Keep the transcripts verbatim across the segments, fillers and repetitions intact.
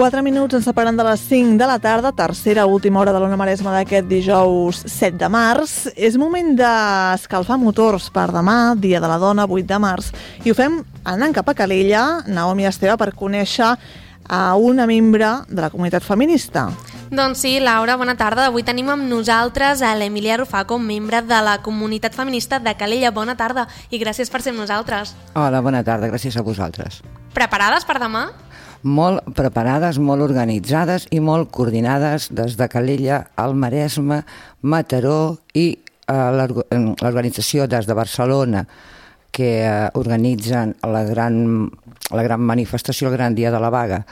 Quatre minuts ens separen de les cinc de la tarda, tercera última hora de l'Ona Maresma d'aquest dijous set de març. És moment d'escalfar motors per demà, dia de la dona, vuit de març, i ho fem anant cap a Calella, Naomi Esteve, per conèixer a una membre de la comunitat feminista. Doncs sí, Laura, bona tarda. Avui tenim amb nosaltres a l'Emília Rufaco, membre de la comunitat feminista de Calella. Bona tarda i gràcies per ser amb nosaltres. Hola, bona tarda, gràcies a vosaltres. Preparades per demà? Molt preparades, molt organitzades i molt coordinades des de Calella, al Maresme, Mataró i l'organització des de Barcelona, que organitzen la gran, la gran manifestació, el gran dia de la vaga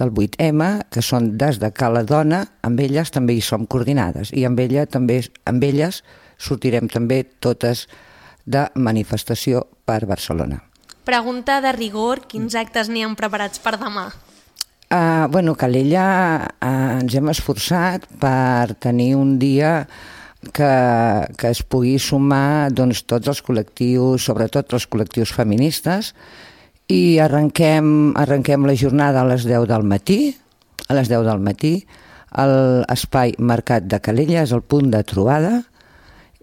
del vuit eme, que són des de Cala Dona. Amb elles també hi som coordinades i amb, ella, també, amb elles sortirem també totes de manifestació per Barcelona. Pregunta de rigor, quins actes n'hi han preparats per demà? Uh, bueno, Calella uh, ens hem esforçat per tenir un dia que, que es pugui sumar doncs, tots els col·lectius, sobretot els col·lectius feministes, i arrenquem, arrenquem la jornada a les deu del matí, a les deu del matí, a l'espai Mercat de Calella, és el punt de trobada.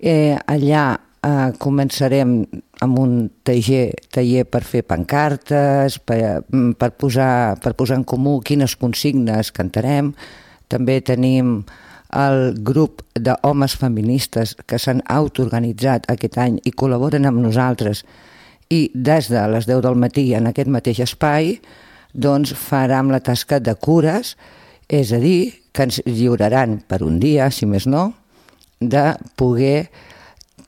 Eh, allà Uh, començarem amb un taller, taller per fer pancartes, per, per, posar, per posar en comú quines consignes cantarem. També tenim el grup d'homes feministes que s'han autoorganitzat aquest any i col·laboren amb nosaltres, i des de les deu del matí en aquest mateix espai doncs farem la tasca de cures, és a dir, que ens lliuraran per un dia, si més no, de poder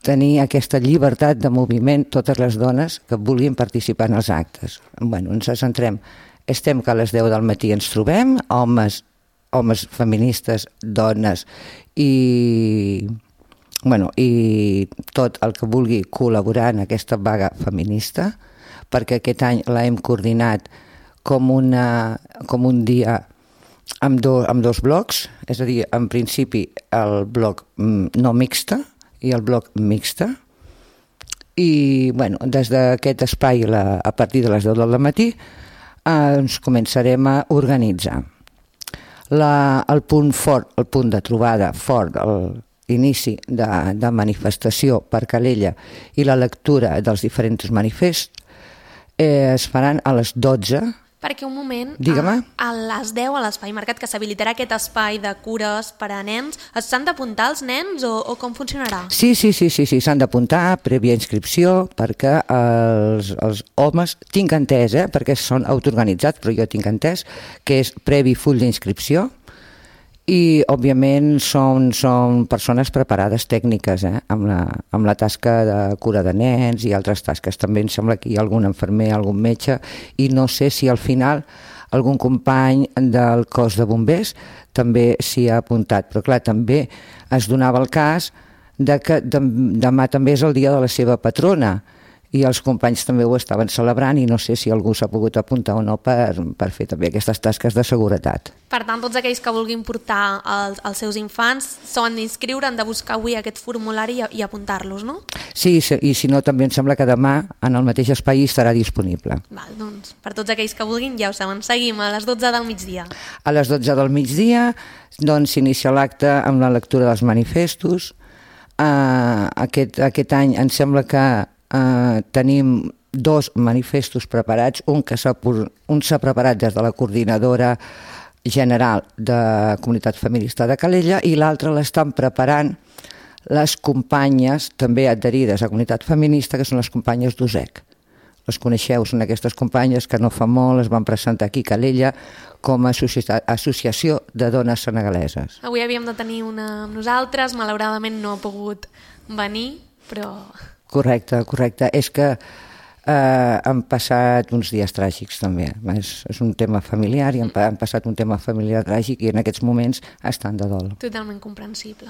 tenir aquesta llibertat de moviment totes les dones que vulguin participar en els actes. Bueno, ens centrem, estem que a les deu del matí ens trobem, homes, homes feministes, dones i, bueno, i tot el que vulgui col·laborar en aquesta vaga feminista, perquè aquest any la hem coordinat com, una, com un dia amb, do, amb dos blocs, és a dir, en principi el bloc no mixta, i el bloc mixta, i bueno, des d'aquest espai la, a partir de les deu del matí eh, ens començarem a organitzar. La, el punt fort, el punt de trobada fort, l'inici de, de manifestació per Calella i la lectura dels diferents manifests eh, es faran a les dotze. Perquè un moment, a, a les deu a l'Espai Mercat, que s'habilitarà aquest espai de cures per a nens, s'han d'apuntar els nens o, o com funcionarà? Sí, sí, sí, sí, sí s'han d'apuntar prèvia inscripció, perquè els, els homes, tinc entès, eh, perquè són autoorganitzats, però jo tinc entès que és previ full d'inscripció, i òbviament són, són persones preparades tècniques, eh, amb, la, amb la tasca de cura de nens i altres tasques. També em sembla que hi ha algun infermer, algun metge, i no sé si al final algun company del cos de bombers també s'hi ha apuntat, però clar, també es donava el cas de que demà també és el dia de la seva patrona, i els companys també ho estaven celebrant, i no sé si algú s'ha pogut apuntar o no per, per fer també aquestes tasques de seguretat. Per tant, tots aquells que vulguin portar els, els seus infants s'han d'inscriure, han de buscar avui aquest formulari i, i apuntar-los, no? Sí, i si no també em sembla que demà en el mateix espai estarà disponible. Val, doncs, per tots aquells que vulguin, ja ho saben, seguim a les dotze del migdia. A les dotze del migdia doncs s'inicia l'acte amb la lectura dels manifestos. Uh, aquest, aquest any em sembla que Uh, tenim dos manifestos preparats, un que s'ha un s'ha preparat des de la coordinadora general de Comunitat Feminista de Calella i l'altre l'estan preparant les companyes també adherides a Comunitat Feminista, que són les companyes d'U S E C. Les coneixeu, són aquestes companyes que no fa molt es van presentar aquí a Calella com a associació de dones senegaleses. Avui havíem de tenir una amb nosaltres, malauradament no ha pogut venir, però... Correcte, correcte. És que eh, han passat uns dies tràgics també. És, és un tema familiar i han, han passat un tema familiar tràgic i en aquests moments estan de dol. Totalment comprensible.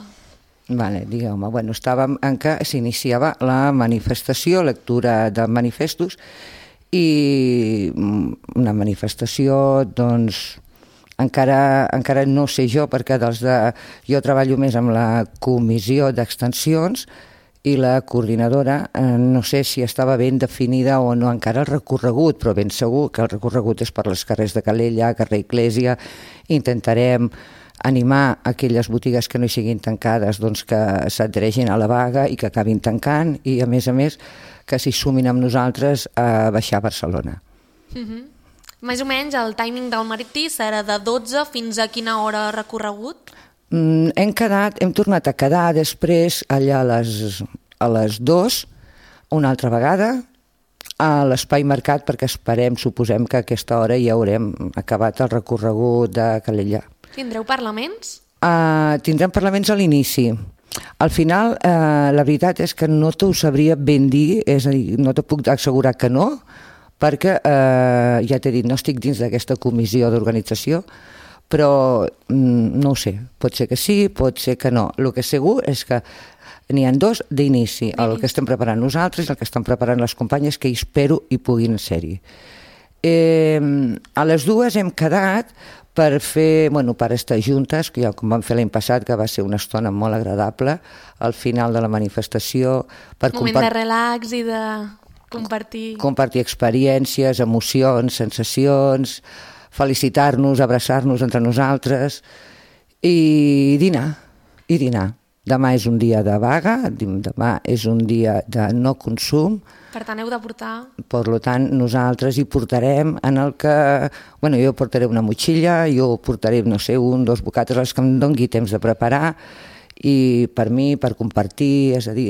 Vale, digueu-me, bueno, estàvem en què s'iniciava la manifestació, lectura de manifestos, i una manifestació, doncs, encara, encara no sé jo, perquè dels de, jo treballo més amb la comissió d'extensions, i la coordinadora, eh, no sé si estava ben definida o no encara el recorregut, però ben segur que el recorregut és per les carrers de Calella, carrer Iglésia. Intentarem animar aquelles botigues que no hi siguin tancades, doncs que s'adhereixin a la vaga i que acabin tancant, i a més a més que s'hi sumin amb nosaltres a baixar a Barcelona. Mm-hmm. Més o menys el timing del Martí serà de dotze fins a quina hora recorregut? Mm, hem quedat, hem tornat a quedar després allà a les, a les dues, una altra vegada, a l'Espai Mercat, perquè esperem, suposem que a aquesta hora ja haurem acabat el recorregut de Calella. Tindreu parlaments? Uh, tindrem parlaments a l'inici. Al final, uh, la veritat és que no t'ho sabria ben dir, és a dir, no te puc assegurar que no, perquè, uh, ja t'he dit, no estic dins d'aquesta comissió d'organització, però mm, no ho sé, pot ser que sí, pot ser que no. El que és segur és que n'hi ha dos d'inici, el que estem preparant nosaltres i el que estan preparant les companyes, que espero hi puguin ser-hi. Eh, a les dues hem quedat per fer, bueno, per estar juntes, que ja com vam fer l'any passat, que va ser una estona molt agradable, al final de la manifestació. Per moment compart... de relax i de compartir... Compartir experiències, emocions, sensacions, felicitar-nos, abraçar-nos entre nosaltres i dinar, i dinar. Demà és un dia de vaga, demà és un dia de no consum. Per tant, heu de portar... Per tant, nosaltres hi portarem en el que... Bueno, jo portaré una motxilla, jo portaré, no sé, un, dos bocates, els que em doni temps de preparar, i per mi, per compartir, és a dir,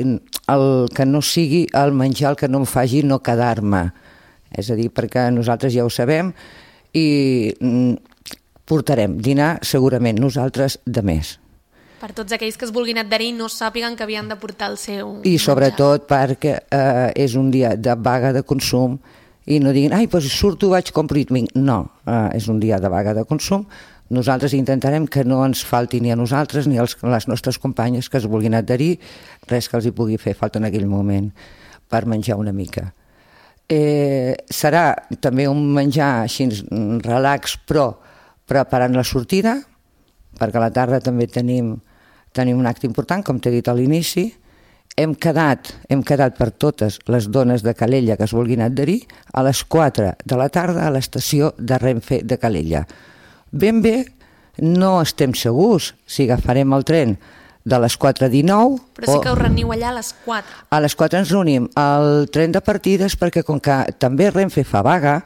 el que no sigui el menjar, el que no em faci no quedar-me. És a dir, perquè nosaltres ja ho sabem, i portarem dinar segurament nosaltres de més. Per tots aquells que es vulguin adherir no sàpiguen que havien de portar el seu I sobretot menjar. Perquè eh, és un dia de vaga de consum i no diguin, ai, doncs surto, vaig, compro i vinc. No, eh, és un dia de vaga de consum. Nosaltres intentarem que no ens falti ni a nosaltres ni a les nostres companyes que es vulguin adherir, res que els hi pugui fer falta en aquell moment per menjar una mica. Eh, serà també un menjar així relax, però preparant la sortida, perquè a la tarda també tenim, tenim un acte important, com t'he dit a l'inici. Hem quedat, hem quedat per totes les dones de Calella que es vulguin adherir a les quatre de la tarda a l'estació de Renfe de Calella. Ben bé, no estem segurs si agafarem el tren de les quatre dinou... Però sí que us reuniu allà a les quatre. A les quatre ens reunim al tren de partides, perquè com que també Renfe fa vaga,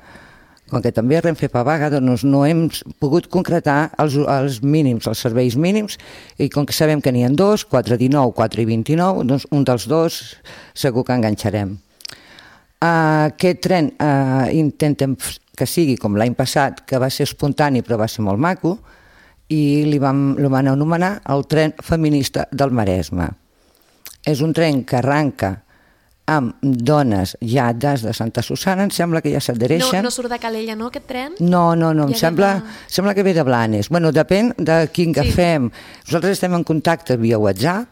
com que també Renfe fa vaga, doncs no hem pogut concretar els, els mínims, els serveis mínims, i com que sabem que n'hi ha dos, quatre dinou, quatre i vint-i-nou, doncs un dels dos segur que enganxarem. Uh, aquest tren uh, intentem que sigui com l'any passat, que va ser espontani però va ser molt maco, i li vam, li van anomenar el tren feminista del Maresme. És un tren que arranca amb dones ja des de Santa Susana, em sembla que ja s'adhereixen. No, no surt de Calella, no, aquest tren? No, no, no, em ja sembla, de... sembla que ve de Blanes. Bueno, depèn de quin agafem. Sí. Nosaltres estem en contacte via WhatsApp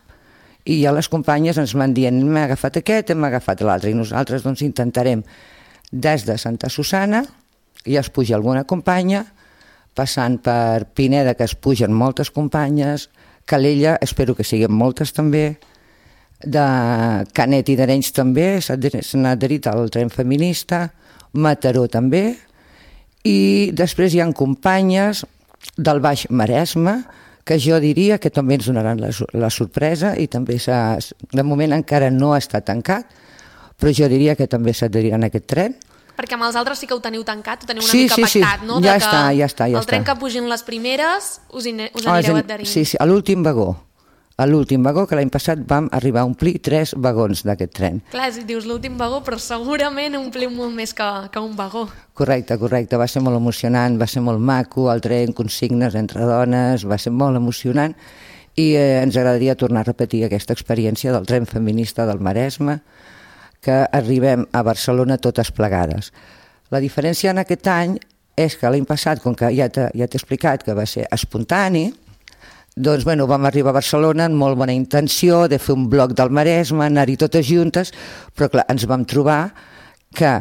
i ja les companyes ens van dient hem agafat aquest, hem agafat l'altre, i nosaltres doncs intentarem des de Santa Susana, ja es puja alguna companya, passant per Pineda, que es pugen moltes companyes, Calella, espero que siguin moltes també, de Canet i d'Arenys també, s'han adherit al tren feminista, Mataró també, i després hi ha companyes del Baix Maresme, que jo diria que també ens donaran la, la sorpresa, i també de moment encara no està tancat, però jo diria que també s'adheriran a aquest tren. Perquè amb els altres sí que ho teniu tancat, ho teniu una sí, mica sí, pactat, sí. no? Ja de està, ja està, ja el tren està. que pugin les primeres us, in, us anireu oh, adherint. Sí, sí, a l'últim vagó. A l'últim vagó, que l'any passat vam arribar a omplir tres vagons d'aquest tren. Clar, si dius l'últim vagó, però segurament ompliu molt més que, que un vagó. Correcte, correcte. Va ser molt emocionant, va ser molt maco, el tren, consignes entre dones, va ser molt emocionant, i eh, ens agradaria tornar a repetir aquesta experiència del tren feminista del Maresme, que arribem a Barcelona totes plegades. La diferència en aquest any és que l'any passat, com que ja t'he ja explicat que va ser espontani, doncs bueno, vam arribar a Barcelona amb molt bona intenció de fer un bloc del Maresme, anar-hi totes juntes, però clar, ens vam trobar que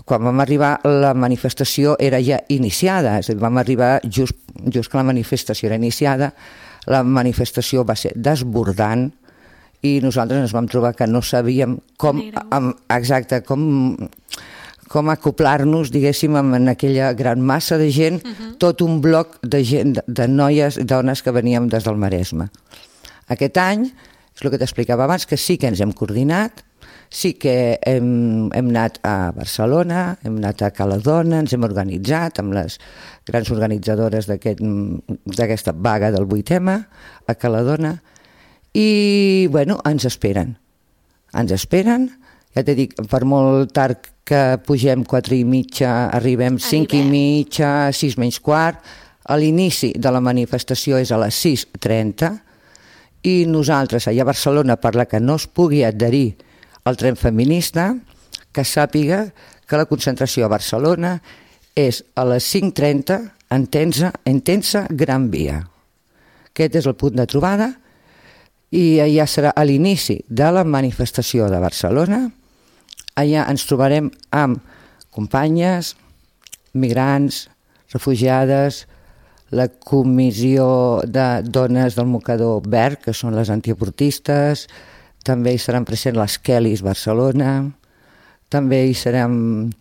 quan vam arribar la manifestació era ja iniciada, és a dir, vam arribar just, just que la manifestació era iniciada, la manifestació va ser desbordant i nosaltres ens vam trobar que no sabíem com, amb, exacte, com, com acoplar-nos, diguéssim, en aquella gran massa de gent, uh-huh. tot un bloc de gent, de, de noies i dones que veníem des del Maresme. Aquest any, és el que t'explicava abans, que sí que ens hem coordinat, sí que hem, hem anat a Barcelona, hem anat a Cala Dona, ens hem organitzat amb les grans organitzadores d'aquesta aquest, vaga del vuit eme a Cala Dona, i, bueno, ens esperen. Ens esperen, ja t'he dit, per molt tard que pugem quatre i mitja, arribem cinc i mitja, sis menys quart. A l'inici de la manifestació és a les sis trenta i nosaltres, allà a Barcelona, per la que no es pugui adherir al tren feminista, que sàpiga que la concentració a Barcelona és a les cinc trenta en Tensa, en Tensa Gran Via. Aquest és el punt de trobada, i allà serà a l'inici de la manifestació de Barcelona. Allà ens trobarem amb companyes, migrants, refugiades, la comissió de dones del mocador verd, que són les antiavortistes, també hi seran presents les Kellys Barcelona, també hi seran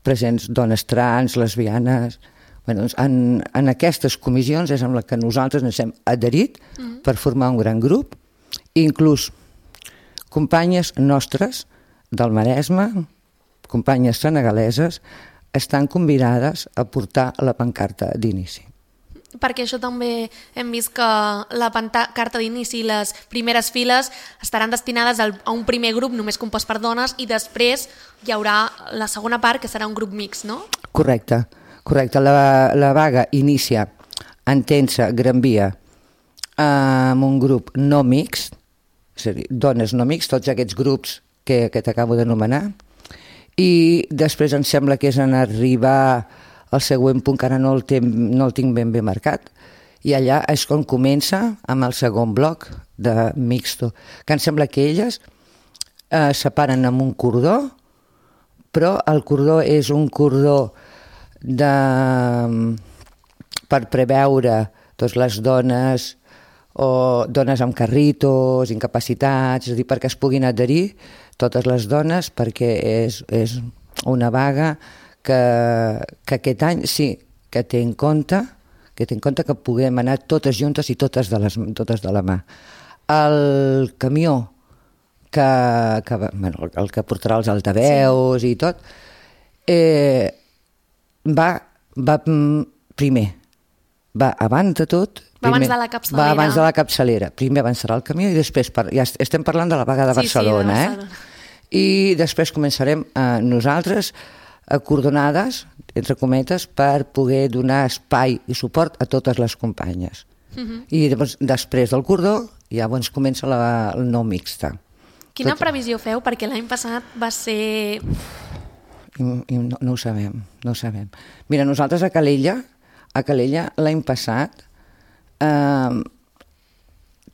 presents dones trans, lesbianes. Bé, doncs en, en aquestes comissions és amb la que nosaltres ens hem adherit mm. per formar un gran grup. Inclús companyes nostres del Maresme, companyes senegaleses, estan convidades a portar la pancarta d'inici. Perquè això també hem vist que la pancarta d'inici i les primeres files estaran destinades a un primer grup només compost per dones i després hi haurà la segona part que serà un grup mixt, no? Correcte, correcte. La, la vaga inicia en Tensa Gran Via amb un grup no mixt, és a dir, dones no mixt, tots aquests grups que, que t'acabo d'anomenar, i després em sembla que és en arribar al següent punt, que ara no el, tem, no el tinc ben bé marcat, i allà és on comença amb el segon bloc de mixto, que em sembla que elles eh, separen amb un cordó, però el cordó és un cordó de, per preveure doncs, les dones o dones amb carritos, incapacitats, és a dir, perquè es puguin adherir totes les dones, perquè és, és una vaga que, que aquest any sí que té en compte que té en compte que puguem anar totes juntes i totes de, les, totes de la mà. El camió que, que, bueno, el que portarà els altaveus sí. i tot, eh, va, va primer, va abans de tot, va primer, abans de la capçalera. Va abans de la capçalera. Primer avançarà el camió i després, per, ja estem parlant de la vaga de Barcelona, sí, sí, de Barcelona. Eh? I després començarem eh, nosaltres acordonades, entre cometes, per poder donar espai i suport a totes les companyes. Uh-huh. I llavors, després del cordó ja doncs, comença la, el no mixta. Quina Tot... previsió feu? Perquè l'any passat va ser... I, i no, no ho sabem, no ho sabem. Mira, nosaltres a Calella, a Calella l'any passat eh,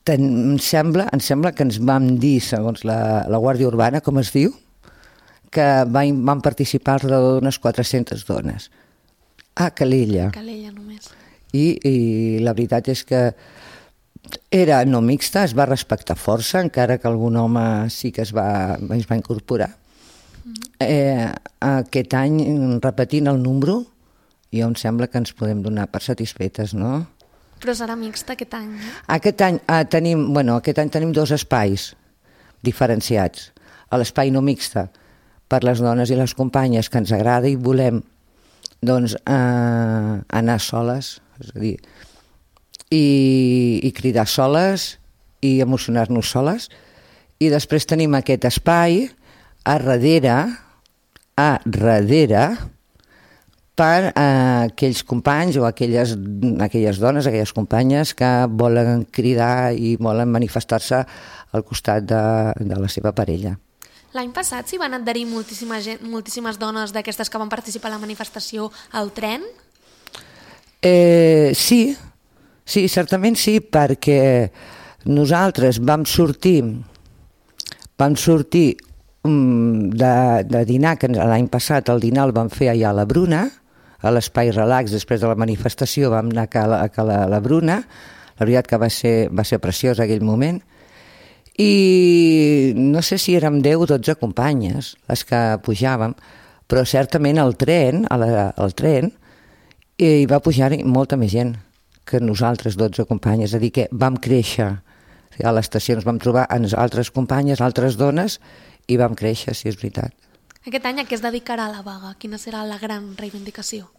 ten, em, sembla, em sembla que ens vam dir, segons la, la Guàrdia Urbana, com es diu, que van, van participar alrededor d'unes quatre-centes dones. A Calella. Calella només. I, I la veritat és que era no mixta, es va respectar força, encara que algun home sí que es va, es va incorporar. Mm. Eh, aquest any, repetint el número, jo em sembla que ens podem donar per satisfetes, no? Però serà mixta aquest any, no? Aquest any, eh, tenim, bueno, aquest any tenim dos espais diferenciats. A l'espai no mixta, per les dones i les companyes que ens agrada i volem doncs, eh, anar soles, és a dir, i, i cridar soles i emocionar-nos soles. I després tenim aquest espai a darrere, a darrere, per a aquells companys o aquelles, aquelles dones, aquelles companyes que volen cridar i volen manifestar-se al costat de, de la seva parella. L'any passat s'hi van adherir moltíssima gent, moltíssimes dones d'aquestes que van participar a la manifestació al tren? Eh, sí, sí, certament sí, perquè nosaltres vam sortir, vam sortir um, de, de dinar, que l'any passat el dinar el vam fer allà a la Bruna, a l'espai relax, després de la manifestació vam anar a la, a la, a la Bruna, la veritat que va ser, va ser preciós aquell moment, I no sé si érem deu o dotze companyes les que pujàvem, però certament al tren, a la, al tren hi va pujar molta més gent que nosaltres, dotze companyes, és a dir, que vam créixer. A l'estació ens vam trobar amb altres companyes, altres dones, i vam créixer, si és veritat. Aquest any a què es dedicarà la vaga? Quina serà la gran reivindicació?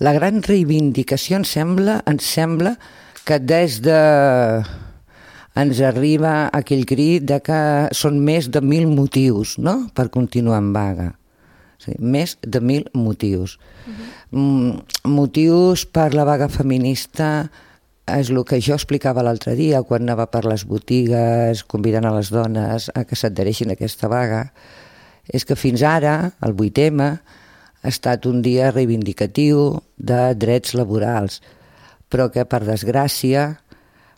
La gran reivindicació ens sembla, ens sembla que des de... ens arriba aquell crit de que són més de mil motius, no?, per continuar en vaga. Sí, més de mil motius. Uh-huh. Mm, motius per la vaga feminista és el que jo explicava l'altre dia quan anava per les botigues convidant a les dones a que s'adhereixin a aquesta vaga. És que fins ara, el vuit eme, ha estat un dia reivindicatiu de drets laborals, però que per desgràcia,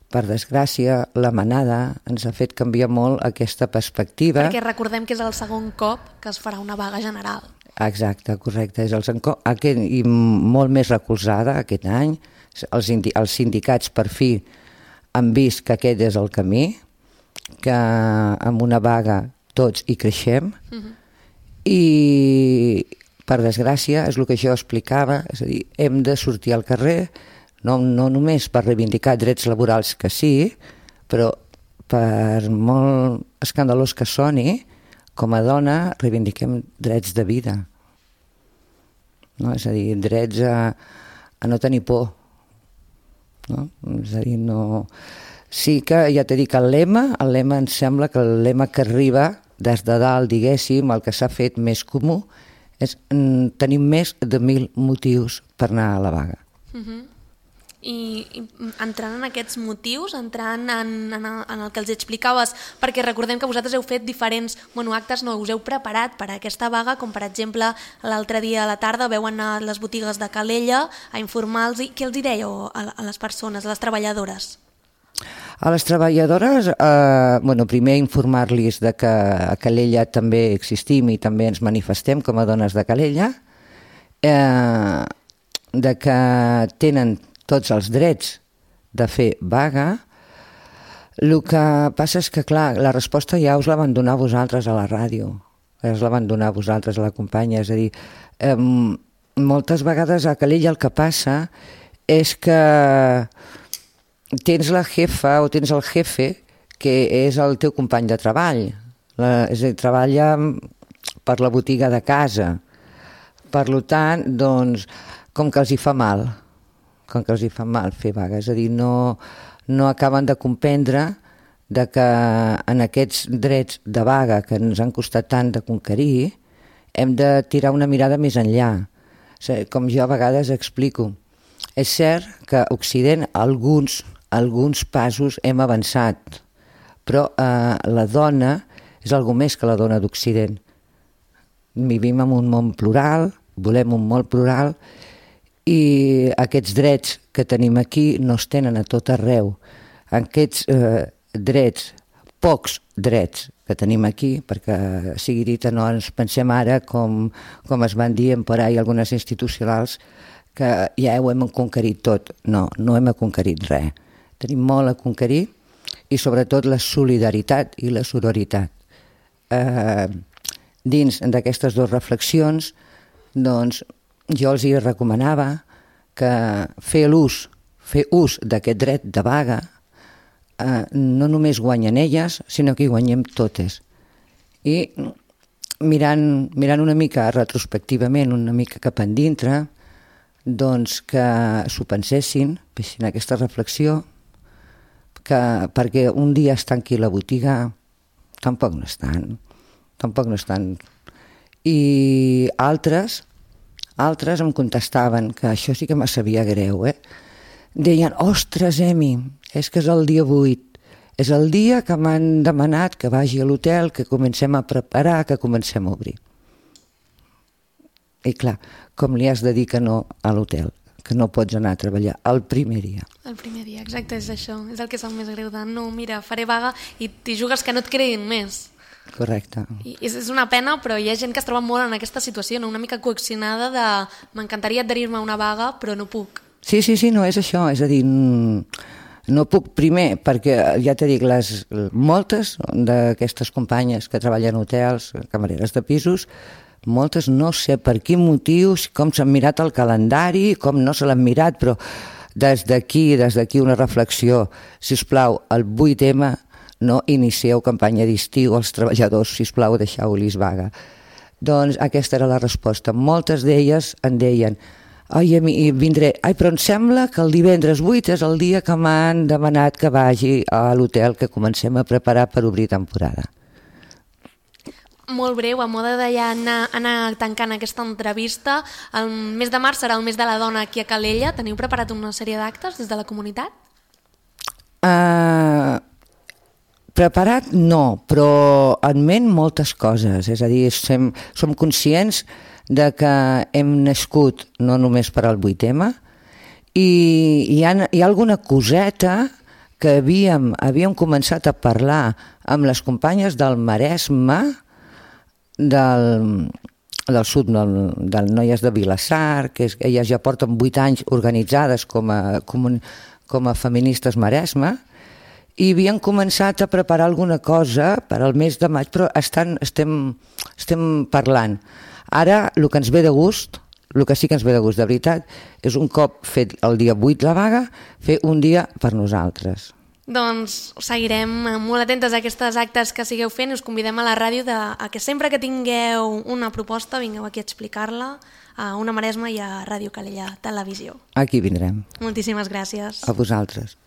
per desgràcia, la manada ens ha fet canviar molt aquesta perspectiva. Perquè recordem que és el segon cop que es farà una vaga general. Exacte, correcte. És el segon cop, aquest, i molt més recolzada aquest any. Els, els sindicats per fi han vist que aquest és el camí, que amb una vaga tots hi creixem, uh-huh. I per desgràcia és el que jo explicava, és a dir, hem de sortir al carrer, no, no només per reivindicar drets laborals que sí, però per molt escandalós que soni, com a dona reivindiquem drets de vida. No? És a dir, drets a, a no tenir por. No? És a dir, no... Sí que ja t'he dit que el lema, el lema em sembla que el lema que arriba des de dalt, diguéssim, el que s'ha fet més comú és tenir més de mil motius per anar a la vaga. Uh-huh. I, i entrant en aquests motius, entrant en, en, en el que els explicaves, perquè recordem que vosaltres heu fet diferents bueno, actes, no, us heu preparat per a aquesta vaga, com per exemple l'altre dia a la tarda veu anar a les botigues de Calella a informar-los. Què els hi dèieu a, a les persones, a les treballadores? A les treballadores, eh, bueno, primer informar-los de que a Calella també existim i també ens manifestem com a dones de Calella, eh, de que tenen tots els drets de fer vaga. El que passa és que, clar, la resposta ja us la van donar vosaltres a la ràdio, us la van donar vosaltres a la companya, és a dir, eh, moltes vegades a Calella el que passa és que tens la jefa o tens el jefe que és el teu company de treball, la, és a dir, treballa per la botiga de casa. Per tant, doncs, com que els hi fa mal, com que els hi fa mal fer vaga, és a dir, no, no acaben de comprendre de que en aquests drets de vaga que ens han costat tant de conquerir, hem de tirar una mirada més enllà. O sigui, com jo a vegades explico, és cert que a Occident alguns alguns passos hem avançat, però eh, la dona és algo més que la dona d'Occident. Vivim en un món plural, volem un món plural, i aquests drets que tenim aquí no es tenen a tot arreu. Aquests eh, drets, pocs drets que tenim aquí, perquè sigui dit, no ens pensem ara com, com es van dir per ahí algunes institucionals que ja ho hem conquerit tot. No, no hem conquerit res. Tenim molt a conquerir i sobretot la solidaritat i la sororitat. Eh, dins d'aquestes dues reflexions, doncs, jo els hi recomanava que fer l'ús, fer ús d'aquest dret de vaga eh, no només guanyen elles, sinó que hi guanyem totes. I mirant, mirant una mica retrospectivament, una mica cap endintre, doncs que s'ho pensessin, fessin aquesta reflexió, que perquè un dia es tanqui la botiga tampoc no estan, tampoc no estan. I altres, altres em contestaven, que això sí que me sabia greu, eh? Deien, ostres, Emi, és que és el dia vuit, és el dia que m'han demanat que vagi a l'hotel, que comencem a preparar, que comencem a obrir. I clar, com li has de dir que no a l'hotel? Que no pots anar a treballar el primer dia. El primer dia, exacte, és això. És el que és el més greu de no, mira, faré vaga i t'hi jugues que no et creguin més. Correcte. I és, és una pena, però hi ha gent que es troba molt en aquesta situació, no? Una mica coaccionada de m'encantaria adherir-me a una vaga, però no puc. Sí, sí, sí, no, és això. És a dir, No puc, primer, perquè ja t'he dit, les, moltes d'aquestes companyes que treballen en hotels, camareres de pisos, moltes no sé per quin motiu, com s'han mirat el calendari, com no se l'han mirat, però des d'aquí, des d'aquí una reflexió, si us plau, el vuit eme no inicieu campanya d'estiu als treballadors, si us plau, deixeu-los vaga. Doncs aquesta era la resposta. Moltes d'elles en deien, ai, vindré, ai, però em sembla que el divendres vuit és el dia que m'han demanat que vagi a l'hotel que comencem a preparar per obrir temporada. Molt breu, a moda de ja anar, anar tancant aquesta entrevista. El mes de març serà el mes de la dona aquí a Calella. Teniu preparat una sèrie d'actes des de la comunitat? Uh, preparat no, però en ment moltes coses. És a dir, som, som conscients de que hem nascut no només per al vuit eme i hi ha, hi ha alguna coseta que havíem, havíem començat a parlar amb les companyes del Maresme, del, del sud, del, del Noies de Vilassar, que és, elles ja porten vuit anys organitzades com a, com, com a feministes Maresme, i havien començat a preparar alguna cosa per al mes de maig, però estan, estem, estem parlant. Ara, el que ens ve de gust, el que sí que ens ve de gust, de veritat, és un cop fet el dia vuit la vaga, fer un dia per nosaltres. Doncs seguirem molt atentes a aquestes actes que sigueu fent i us convidem a la ràdio de, a que sempre que tingueu una proposta vingueu aquí a explicar-la a Una Maresma i a Ràdio Calella Televisió. Aquí vindrem. Moltíssimes gràcies. A vosaltres.